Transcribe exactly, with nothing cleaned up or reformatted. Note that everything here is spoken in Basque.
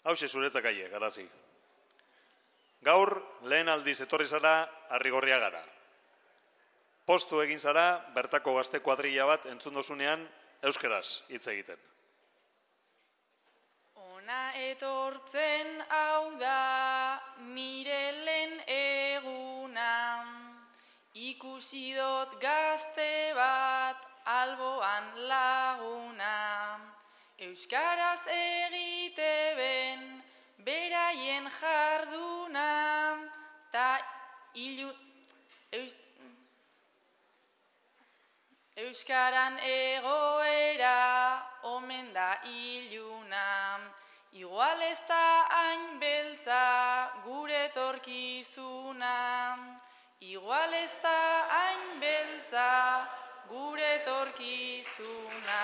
Hauxe zuretzak aie, Garazi. Gaur, lehen aldiz etorri zara, Arrigorria gara. Postu egin zara, bertako gazte kuadrilla bat entzun dozunean, euskeraz hitz egiten. Ona etortzen hau da nire lehen eguna, ikusi dut gazte bat alboan laguna, euskaraz egite ben beraien jarduna, ta ilu... Eus... Euskaran egoera omen da iluna, igual ez da hain beltza gure etorkizuna, igual ez da hain beltza gure etorkizuna.